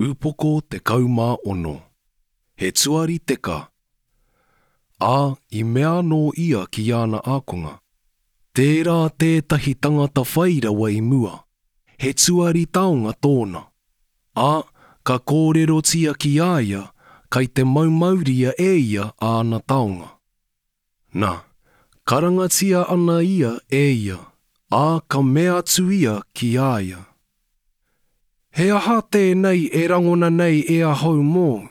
Upoko 16. He tuari teka. Ā, i mea anō ia ki āna ākonga, Tērā tētahi tangata whai rawa i mua, he tuari taonga tōna. Ā, ka kōrerotia ki a ia, kai te maumauria e ia āna taonga. Nā, karangatia ana ia e ia, ā, ka mea atu ia ki a ia, He aha tēnei e rangona nei e ahau mōu?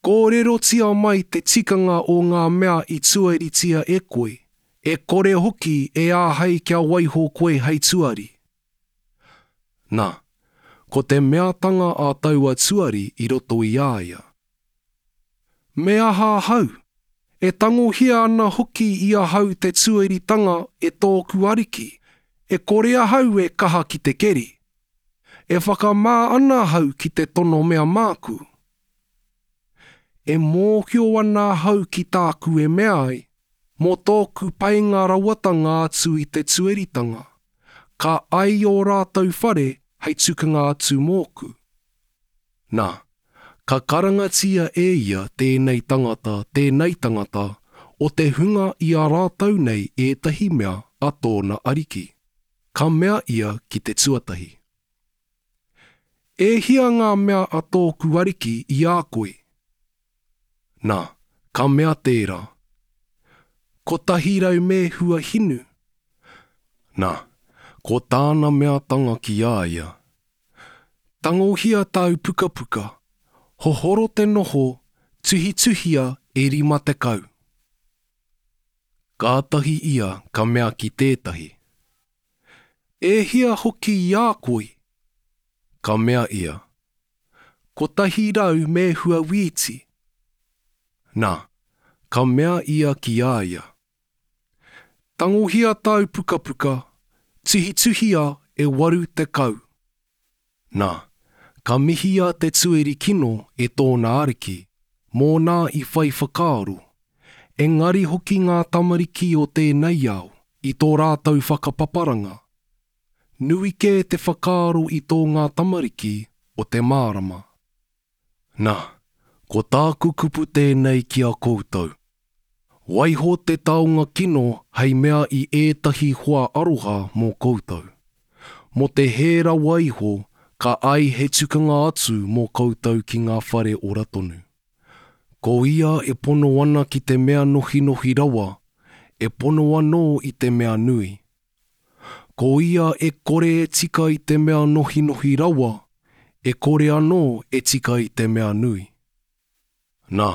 Kōrerotia mai te tikanga o ngā mea i tuaritia e koe, e kore hoki e āhei kia waiho koe hei tuari. Nā, ko te meatanga a taua tuari i roto i a ia, Me aha ahau? E tangohia ana hoki i ahau te tuaritanga e tōku ariki, e kore ahau e kaha ki te keri. E whakamā ana ahau ki te tono mea māku. E mōhio ana ahau ki tāku e mea ai, mō tōku painga rawatanga atu i te tuaritanga, ka ai ō rātou whare hei tukanga atu mōku. Nā, ka karangatia e ia tēnei tangata, tēnei tangata, o te hunga i a rātou nei ētahi mea a tōna ariki. Ka mea ia ki te tuatahi, E hia ngā mea a tōku ariki i a koe? Nā, ka mea tērā, 100 mēhua hinu. Nā, ko tāna meatanga ki a ia, Tangohia tāu pukapuka, hohoro te noho, tuhituhia e 50. Kātahi ia ka mea ki tētahi, E hia hoki i a koe? Ka mea ia, 100 mēhua wīti. Nā, ka mea ia ki a ia, Tangohia tāu pukapuka, tuhituhia e 80. Nā, ka mihia te tueri kino e tōna ariki, mōna i whai whakaaro. Engari hoki ngā tamariki o tēnei ao, i tō rātou whakapaparanga. Nui kē te whakaaro i tō ngā tamariki o te mārama. Nā, ko tāku kupu tēnei ki a koutou. Waiho te taonga kino hei mea i ētahi hoa aroha mō koutou. Mō te hē rawa iho, ka ai he tukanga atu mō koutou ki ngā whare ora tonu. Ko ia e pono ana ki te mea nohinohi rawa, e pono anō i te mea nui. Ko ia e kore e tika i te mea nohinohi rawa, e kore anō e tika i te mea nui. Nā,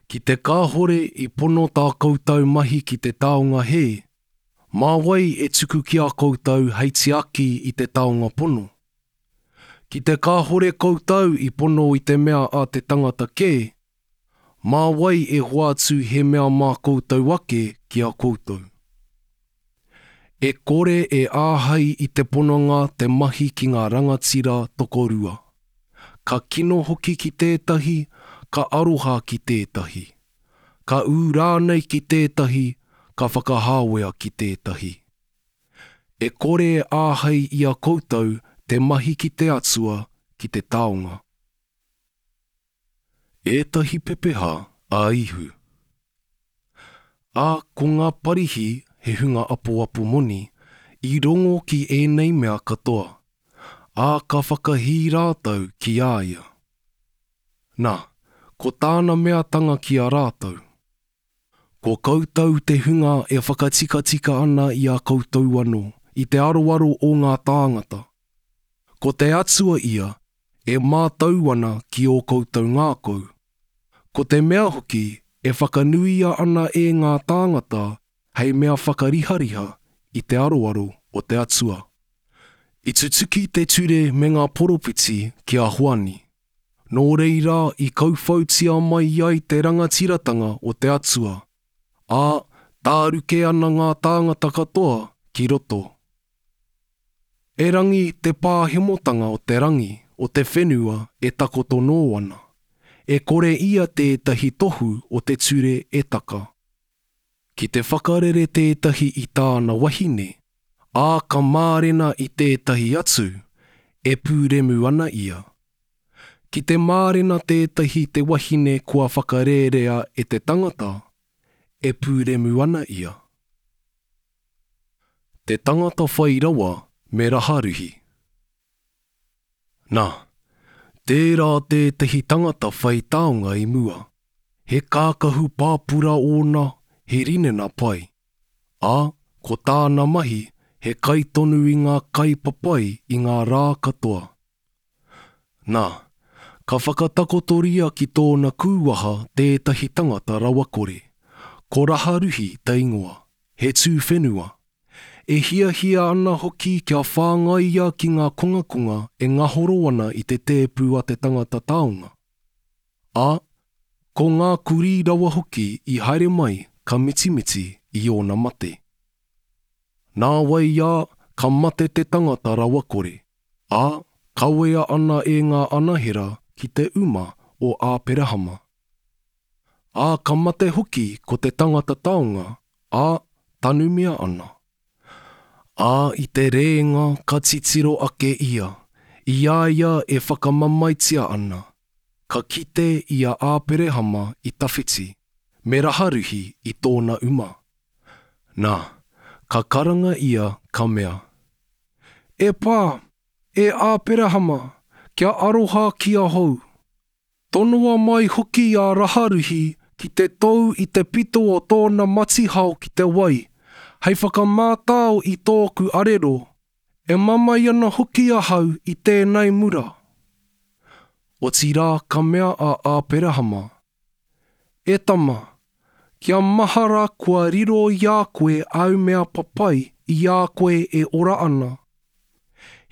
ki te kāhore i pono tā koutou mahi ki te taonga hē, mā wai e tuku ki a koutou hei tiaki i te taonga pono? Ki te kāhore koutou i pono i te mea a te tangata kē, Mā wai e hoatu he mea mā koutou ake ki a koutou? E kore e āhei i te pononga te mahi ki ngā rangatira tokorua. Ka kino hoki ki tētahi, ka aroha ki tētahi. Ka ū rānei ki tētahi, ka whakahāwea ki tētahi. E kore e āhei i a koutou te mahi ki te Atua, ki te taonga. Ētahi pepeha a Ihu. Ā, ko ngā Parihi, he hunga apoapo moni, i rongo ki ēnei mea katoa, ā, ka whakahī rātou ki a ia. Na, ko tāna meatanga ki a rātou, Ko koutou te hunga e whakatikatika ana i a koutou anō i te aroaro o ngā tāngata. Ko te Atua ia e mātau ana ki ō koutou ngākau. Ko te mea hoki e whakanuia ana e ngā tāngata hei mea whakarihariha i te aroaro o te Atua. I tutuki te ture me ngā poropiti ki a Hoani. Nō reira i kauwhautia mai ai te rangatiratanga o te Atua, ā, tāruke ana ngā tāngata katoa ki roto. Erangi te pāhemotanga o te rangi, o te whenua e takoto nō ana, e kore ia tētahi tohu o te ture e taka. Ki te whakarere tētahi i tāna wahine, ā, ka mārena i tētahi atu, e pūremu ana ia. Ki te mārena tētahi te wahine kua whakarērea e te tangata, e pūremu ana ia. Te tangata whai rawa me raharuhi. Nā, tērā tētahi tangata whai taonga i mua, he kākahu pāpura ōna, he rinena pai, ā, ko tāna mahi he kai tonu i ngā kai papai i ngā rā katoa. Nā, ka whakatakotoria ki tōna kūwaha tētahi tangata rawakore, ko Raharuhi te ingoa, he tū whenua, e hiahia ana hoki kia whāngaia ki ngā kongakonga e ngahoro ana i te tēpu a te tangata taonga. Ā, ko ngā kurī rawa hoki i haere mai ka mitimiti i ōna mate. Nāwai ā, ka mate te tangata rawakore, ā, kawea ana e ngā anahera ki te uma o Āperahama. Ā, ka mate hoki ko te tangata taonga, ā, tanumia ana. Ā, i te rēinga ka titiro ake ia, i a ia e whakamamaetia ana, ka kite i a Āperehama i tawhiti, me Raharuhi i tōna uma. Nā, ka karanga ia, ka mea, E Pā, e Āperahama, kia aroha ki ahau. Tonoa mai hoki a Raharuhi ki te tou i te pito o tōna matihao ki te wai, hei whakamātao i tōku arero, e mamae ana hoki ahau i tēnei mura. Otirā ka mea a Āperahama, E tama, kia mahara kua riro i a koe āu mea papai i a koe e ora ana.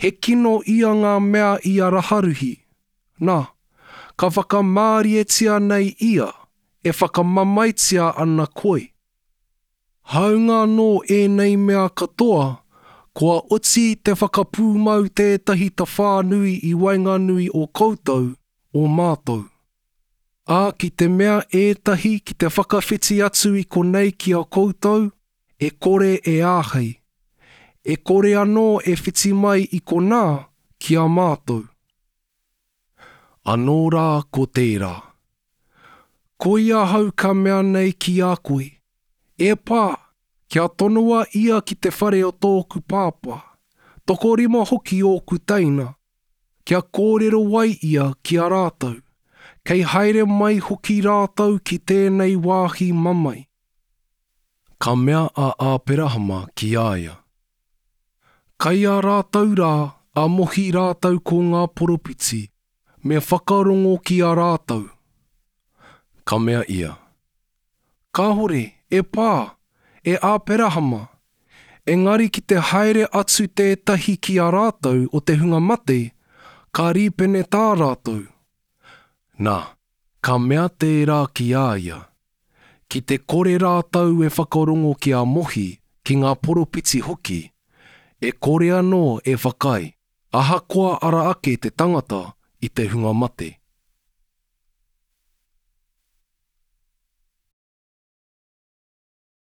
He kino ia ngā mea i a Raharuhi, nā, ka whakamārietia nei ia, e whakamamaetia ana koe. Hāunga anō ēnei mea katoa, kua oti te whakapūmau tētahi tawhā nui i waenganui o koutou, o mātou. Ā, ki te mea ētahi ki te whakawhiti atu i konei ki a koutou, e kore e āhei. E kore anō e whiti mai i konā ki a mātou. Anō rā ko tērā. Koia ahau ka mea nei ki a koe, E Pā, kia tonoa ia ki te whare o tōku pāpā, tokorima hoki ōku teina, kia kōrero ai ia ki a rātou, kei haere mai hoki rātou ki tēnei wāhi mamae. Ka mea a Āperahama ki a ia, Kai a rātou rā a Mohi rātou ko ngā poropiti, me whakarongo ki a rātou. Ka mea ia, Kāhore, e Pā, e Āperahama, engari ki te haere atu tētahi ki a rātou o te hunga mate, ka rīpenetā rātou. Nā, ka mea tērā ki a ia, Ki te kore rātou e whakarongo ki a Mohi, ki ngā poropiti hoki, e kore anō e whakaae, ahakoa ara ake te tangata i te hunga mate.